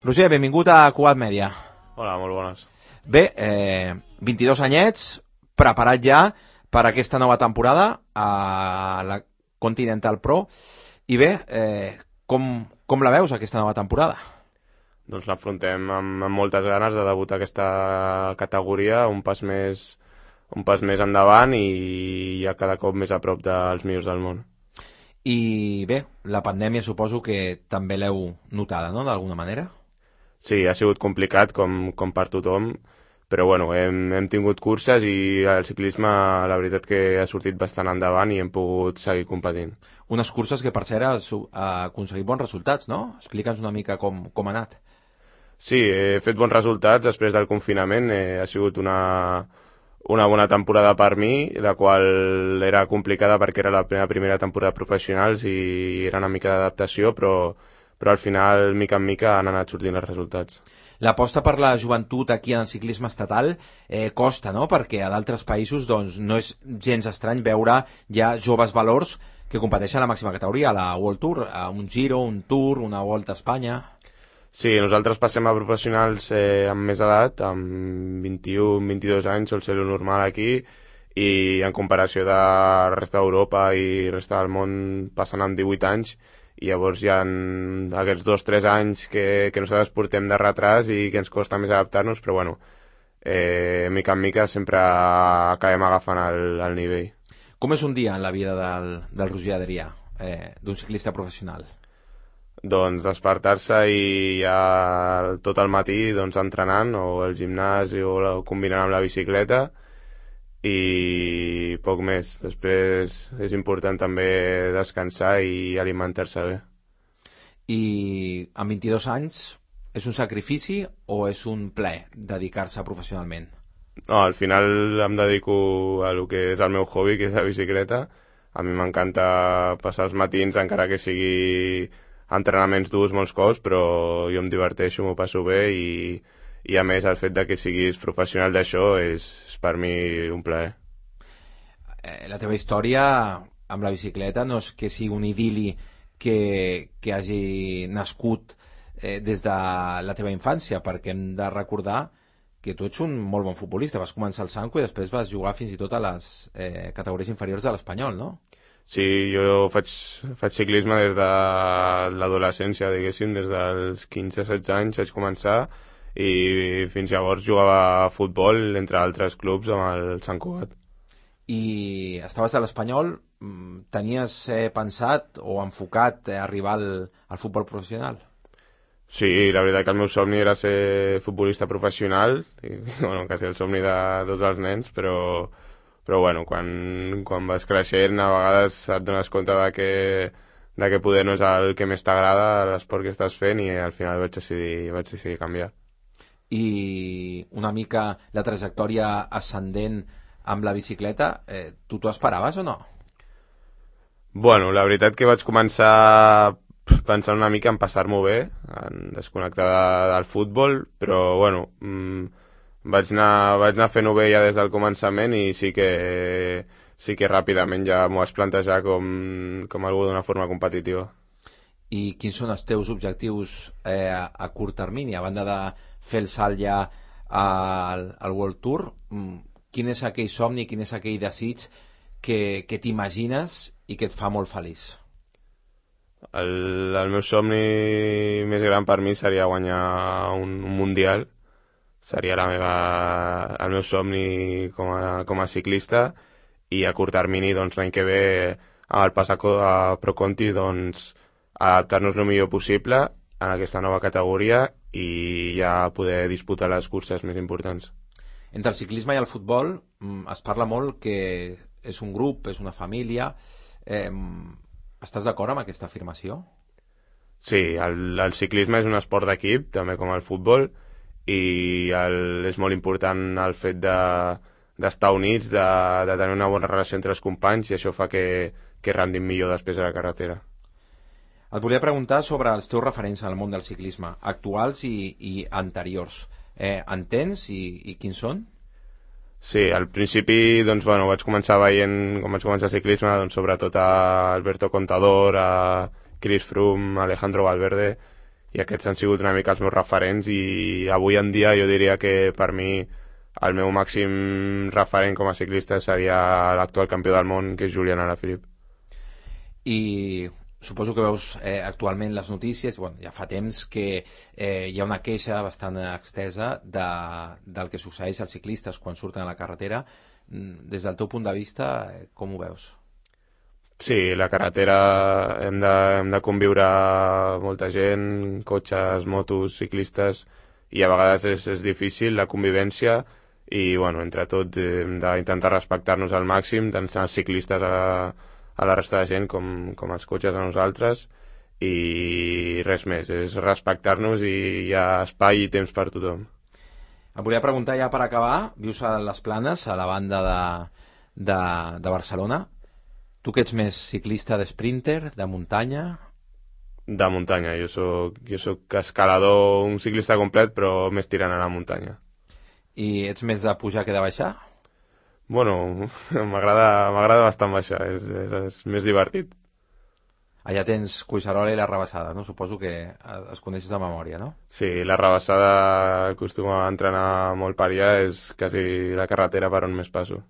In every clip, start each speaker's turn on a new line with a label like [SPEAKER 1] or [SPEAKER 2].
[SPEAKER 1] Roger, benvingut a Cugat Mèdia.
[SPEAKER 2] Hola, molt bones.
[SPEAKER 1] Bé, 22 anyets, preparat ja per aquesta nova temporada a la Continental Pro. I bé, com la veus, aquesta nova temporada?
[SPEAKER 2] Doncs l'afrontem amb moltes ganes de debutar aquesta categoria, un pas més endavant i ja cada cop més a prop dels millors del món.
[SPEAKER 1] I bé, la pandèmia suposo que també l'heu notada, no?, d'alguna manera?
[SPEAKER 2] Sí, ha sigut complicat com per tothom, però bueno, hem tingut curses i el ciclisme la veritat que ha sortit bastant endavant i hem pogut seguir competint.
[SPEAKER 1] Unes curses que per cert ha aconseguit bons resultats, no? Explica'ns una mica com ha anat.
[SPEAKER 2] Sí, he fet bons resultats després del confinament, ha sigut una bona temporada per mi, la qual era complicada perquè era la primera temporada professionals i era una mica d'adaptació, però al final, mica en mica, han anat sortint els resultats.
[SPEAKER 1] L'aposta per la joventut aquí en el ciclisme estatal costa, no?, perquè a d'altres països doncs, no és gens estrany veure ja joves valors que competeixen a la màxima categoria, a la World Tour, a un Giro, un Tour, una Volta a Espanya.
[SPEAKER 2] Sí, nosaltres passem a professionals amb més edat, amb 21-22 anys, sol ser lo normal aquí, i en comparació de la resta d'Europa i resta del món passen amb 18 anys, i llavors hi ha aquests 2-3 anys que nosaltres portem de retras i que ens costa més adaptar-nos, però bueno, mica en mica sempre acabem agafant el nivell.
[SPEAKER 1] Com és un dia en la vida del Roger Adrià, d'un ciclista professional?
[SPEAKER 2] Doncs despertar-se i ja tot el matí doncs, entrenant o al gimnàs o combinant amb la bicicleta i poc més. Després és important també descansar i alimentar-se bé.
[SPEAKER 1] I amb 22 anys és un sacrifici o és un plaer dedicar-se professionalment?
[SPEAKER 2] No, al final em dedico a lo que és el meu hobby, que és la bicicleta. A mi m'encanta passar els matins, encara que sigui entrenaments durs molts cops, però jo em diverteixo, m'ho passo bé i a més el fet de que siguis professional d'això és per mi un plaer.
[SPEAKER 1] La teva història amb la bicicleta no és que sigui un idil·li que hagi nascut des de la teva infància, perquè hem de recordar que tu ets un molt bon futbolista. Vas començar al Sanco i després vas jugar fins i tot a les categories inferiors de l'Espanyol, no?
[SPEAKER 2] Sí, jo faig ciclisme des de l'adolescència, diguéssim, des dels 15-16 anys vaig començar i fins llavors jugava a futbol, entre altres clubs, amb el Sant Cugat.
[SPEAKER 1] I estaves a l'Espanyol, tenies pensat o enfocat arribar al futbol professional?
[SPEAKER 2] Sí, la veritat que el meu somni era ser futbolista professional, i, bueno, quasi el somni de tots els nens, però bueno, quan vas creixent a vegades et dones compte de que poder no és el que més t'agrada l'esport que estàs fent i al final vaig decidir canviar.
[SPEAKER 1] I una mica la trajectòria ascendent amb la bicicleta, tu t'ho esperaves o no?
[SPEAKER 2] Bueno, la veritat que vaig començar pensant una mica en passar-m'ho bé, en desconnectar del futbol, però bueno, vaig anar fent-ho bé ja des del començament i sí que ràpidament ja m'ho vaig plantejar com algú d'una forma competitiva.
[SPEAKER 1] I quins són els teus objectius a curt termini, a banda de fer el salt ja al World Tour? Quin és aquell somni, quin és aquell desig que t'imagines i que et fa molt feliç?
[SPEAKER 2] El meu somni més gran per mi seria guanyar un mundial. Seria el meu somni com a ciclista i a curt termini doncs, l'any que ve amb el pas a Pro Conti doncs, adaptar-nos el millor possible en aquesta nova categoria i ja poder disputar les curses més importants.
[SPEAKER 1] Entre el ciclisme i el futbol es parla molt que és un grup, és una família. Estàs d'acord amb aquesta afirmació?
[SPEAKER 2] Sí, el ciclisme és un esport d'equip, també com el futbol, i és molt important el fet d'estar units, de tenir una bona relació entre els companys, i això fa que rendim millor després a la carretera.
[SPEAKER 1] Et volia preguntar sobre els teus referents en el món del ciclisme, actuals i anteriors. En tens i quins són?
[SPEAKER 2] Sí, al principi doncs, bueno, vaig començar veient, com vaig començar el ciclisme, doncs, sobretot a Alberto Contador, a Chris Froome, a Alejandro Valverde, i aquests han sigut una mica els meus referents, i avui en dia jo diria que per mi el meu màxim referent com a ciclista seria l'actual campió del món, que és Julián Alaphilippe.
[SPEAKER 1] I suposo que veus actualment les notícies, bueno, ja fa temps que hi ha una queixa bastant extesa del que succeeix als ciclistes quan surten a la carretera. Des del teu punt de vista, com ho veus?
[SPEAKER 2] Sí, la carretera hem de conviure molta gent, cotxes, motos, ciclistes, i a vegades és difícil la convivència, i bueno, entre tots hem d'intentar respectar-nos al màxim, tant els ciclistes a la resta de gent com els cotxes a nosaltres, i res més, és respectar-nos i hi ha espai i temps per tothom.
[SPEAKER 1] Em volia preguntar ja per acabar, vius a les Planes, a la banda de Barcelona. Tu que ets més ciclista d'esprinter, de muntanya?
[SPEAKER 2] De muntanya, jo soc escalador, un ciclista complet, però més tirant a la muntanya.
[SPEAKER 1] I ets més de pujar que de baixar?
[SPEAKER 2] Bueno, m'agrada bastant baixar, és més divertit.
[SPEAKER 1] Allà tens Collserola i la Rabassada, no? Suposo que es coneixes de memòria, no?
[SPEAKER 2] Sí, la Rabassada acostuma a entrenar molt per allà, és quasi la carretera per on més passo.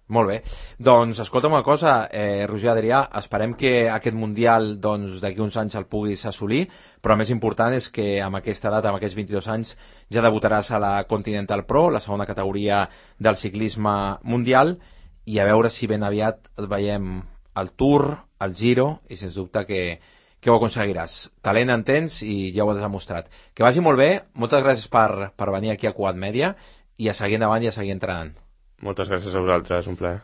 [SPEAKER 1] Molt bé. Doncs escolta'm una cosa, Roger Adrià, esperem que aquest Mundial doncs, d'aquí uns anys el puguis assolir, però el més important és que amb aquesta edat, amb aquests 22 anys, ja debutaràs a la Continental Pro, la segona categoria del ciclisme mundial, i a veure si ben aviat et veiem al Tour, al Giro, i sens dubte que ho aconseguiràs. Talent en tens i ja ho has demostrat. Que vagi molt bé, moltes gràcies per venir aquí a Quad Media, i a seguir endavant i a seguir entrenant.
[SPEAKER 2] Moltes gràcies a vosaltres, un plaer.